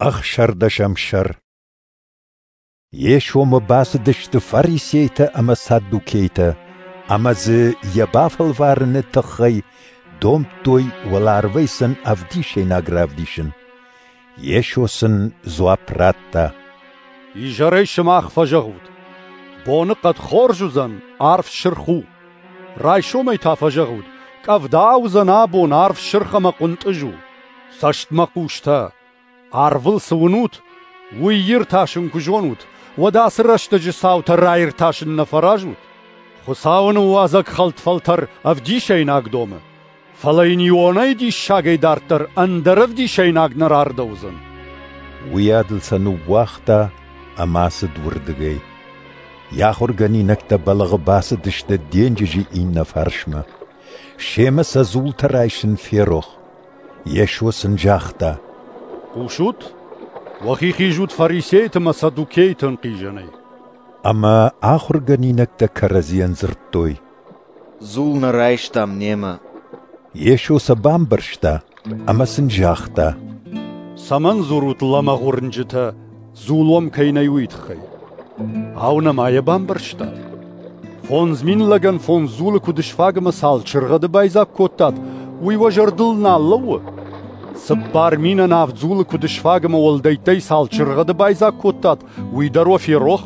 16-ӕм сӕр. Йесомӕ бацыдысты фарисейтӕ ӕмӕ саддукейтӕ, ӕмӕ дзы йӕ бафӕлварыны тыххӕй домдтой уӕларвӕй сын ӕвдисӕйнаг равдисын. Йесо сын дзуапп радта: Изӕрӕй сымах фӕзӕгъут: боныхъӕд хорз уыдзӕн, арв сырх у. Райсомӕй та фӕзӕгъут: къӕвда уыдзӕн абон, арв сырх ӕмӕ хъуынтъыз у. Цӕстмӕхъустӕ! Арвыл цы уынут, уый иртасын куы зонут, уӕд ацы рӕстӕджы цаутӕ раиртасын нӕ фӕразут? Хуыцауы ныууадзӕг хӕлд фӕлтӕр ӕвдисӕйнаг домы, фӕлӕ йын Ионӕйы диссагӕй дарддӕр ӕндӕр ӕвдисӕйнаг нӕ рардӕуыдзӕн. Уыйадыл сӕ ныууагъта ӕмӕ ацыд уырдыгӕй. Йӕ ахуыргӕнинӕгтӕ бӕлӕгъы бацыдысты денджызы иннӕ фарсмӕ. Семӕ сӕ дзултӕ райсын ферох. Йесо сын загъта: Хъусут? Уӕхи хизут фарисейты ӕмӕ саддукейты ӕнхъизӕнӕй. Ӕмӕ ахуыргӕнинӕгтӕ кӕрӕдзийӕн дзырдтой: Дзул нӕ райстам немӕ. Йесо сӕ бамбӕрста ӕмӕ сын загъта: Цӕмӕн дзурут, лӕмӕгъ уырнджытӕ, дзул уӕм кӕй нӕй, уый тыххӕй? Ау, нӕма йӕ бамбӕрстат? 5000 лӕгӕн 5 дзулы куыд сфаг ӕмӕ цал чыргъӕды байдзаг кодтат, уый уӕ зӕрдыл нал лӕууы? 4000-ӕн 7 дзулы куыд сфаг ӕмӕ уӕлдӕйттӕй цал чыргъӕды байдзаг кодтат, уый дӕр уӕ ферох?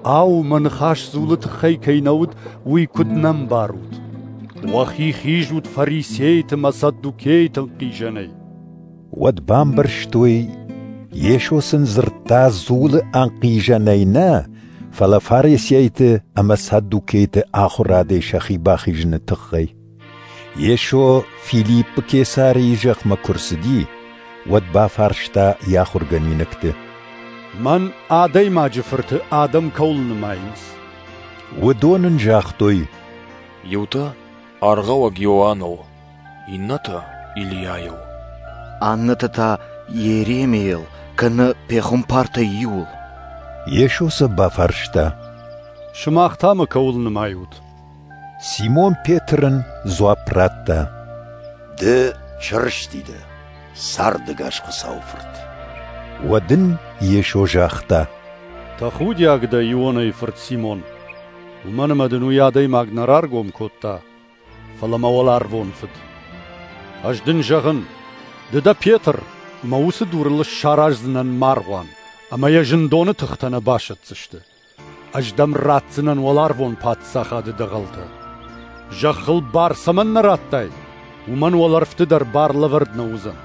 Ау, мӕ ныхас дзулы тыххӕй кӕй нӕ уыд, уый куыд нӕ мбарут? Уӕхи хизут фарисейты ӕмӕ саддукейты ӕнхъизӕнӕй. Уӕд бамбӕрстой, Йесо сын дзырдта дзулы ӕнхъизӕнӕй нӕ, фӕлӕ фарисейты ӕмӕ саддукейты ахуырадӕй сӕхи бахизыны тыххӕй. Йесо Филиппы Кесарийы зӕхмӕ куы рцыди, уӕд бафарста йӕ ахуыргӕнинӕгты: Мӕн, Адӕймаджы Фырты, адӕм кӕуыл нымайынц? Уыдон ын загътой: Иутӕ Аргъауӕг Иоанныл, иннӕтӕ Илийайыл, аннӕтӕ та Йеремийыл кӕнӕ пехуымпартӕй иуыл. Йесо сӕ бафарста: Сымах та мӕ кӕуыл нымайут? Симон Петр ын дзуапп радта: Ды Чырысти дӕ, цардӕгас Хуыцауы Фырт. Уӕд ын Йесо загъта: Тӕхудиаг дӕ, Ионайы фырт Симон, уымӕн ӕмӕ дын уый адӕймаг нӕ раргом кодта, фӕлӕ мӕ уӕларвон Фыд. Ӕз дын зӕгъын, ды дӕ Петр, ӕмӕ уыцы дурыл сараздзынӕн мӕ аргъуан, ӕмӕ йӕ зындоны тыхтӕ нӕ басӕтдзысты. Ӕз дӕм ратдзынӕн уӕларвон паддзахады дӕгъӕлтӕ. Зӕххыл бар цӕмӕн нӕ радтай, уымӕн уӕлӕрвты дӕр бар лӕвӕрд нӕ уыдзӕн.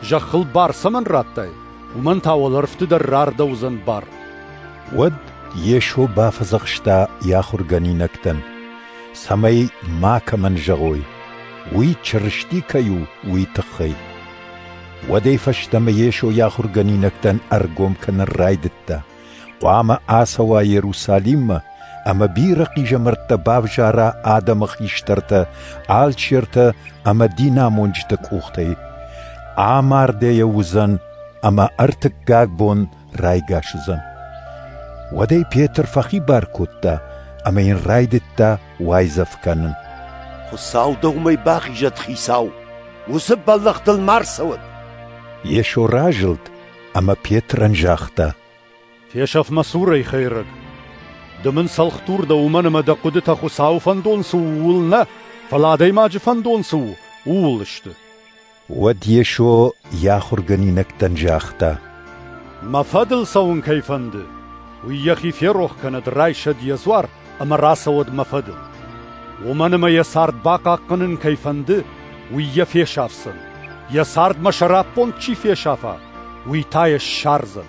Зӕххыл бар цӕмӕн радтай, уымӕн та уӕлӕрвты дӕр рардӕуыдзӕн бар. Уӕд Йесо бафӕдзӕхста йӕ ахуыргӕнинӕгтӕн, цӕмӕй макӕмӕн зӕгъой, уый Чырысти кӕй у, уый тыххӕй. Уӕдӕй фӕстӕмӕ Йесо йӕ ахуыргӕнинӕгтӕн ӕргом кӕнын райдыдта, хъуамӕ ацӕуа Иерусалиммӕ ӕмӕ бирӕ хъизӕмӕрттӕ бавзара адӕмы хистӕртӕ, алчертӕ ӕмӕ динамонджыты къухтӕй. Амардӕйӕ уыдзӕн ӕмӕ ӕртыккаг бон райгас уыдзӕн. Уӕд ӕй Петр фӕхибар кодта ӕмӕ йын райдыдта уайдзӕф кӕнын. Хуыцау дӕумӕй бахизӕд, Хицау, уыцы бӕллӕхтыл ма рцӕуӕд. Йесо разылд ӕмӕ Петрӕн загъта: Фесӕф мӕ цурӕй, хӕйрӕг! Ды мын цӕлхдур дӕ, уымӕн ӕмӕ дӕ хъуыдытӕ Хуыцауы фӕндон цы у, ууыл нӕ, фӕлӕ адӕймаджы фӕндон цы у, ууыл сты. Уӕд Йесо йӕ ахуыргӕнинӕгтӕн загъта: Мӕ фӕдыл цӕуын кӕй фӕнды, уый йӕхи ферох кӕнӕд, райсӕд йӕ дзуар ӕмӕ рацӕуӕд мӕ фӕдыл. Уымӕн ӕмӕ йӕ цард бахъахъхъӕнын кӕй фӕнды, уый йӕ фесафдзӕн. Йӕ цард мӕ сӕраппонд чи фесафа, уый та йӕ ссардзӕн.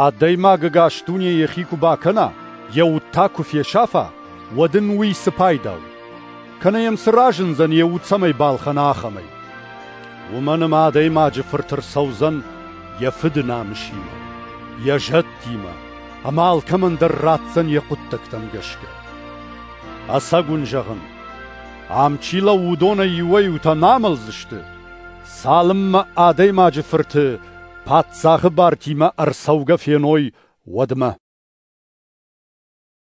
Адӕймаг ӕгас дуне йӕхи куы бакӕна, йӕ уд та куы фесафа, уӕд ын уый цы пайда у? Кӕнӕ йӕм цы разындзӕн, йӕ уд цӕмӕй балхӕна, ахӕмӕй? Уымӕн ӕмӕ Адӕймаджы Фырт ӕрцӕудзӕн йӕ Фыды намысимӕ, йӕ зӕдтимӕ, ӕмӕ алкӕмӕн дӕр ратдзӕн йӕ хъуыддӕгтӕм гӕсгӕ. Ӕцӕг уын зӕгъын, ам чи лӕууы, уыдонӕй иуӕй-иутӕ нӕ амӕлдзысты, цалынмӕ Адӕймаджы Фырты паддзахы бартимӕ ӕрцӕугӕ феной, уӕдмӕ.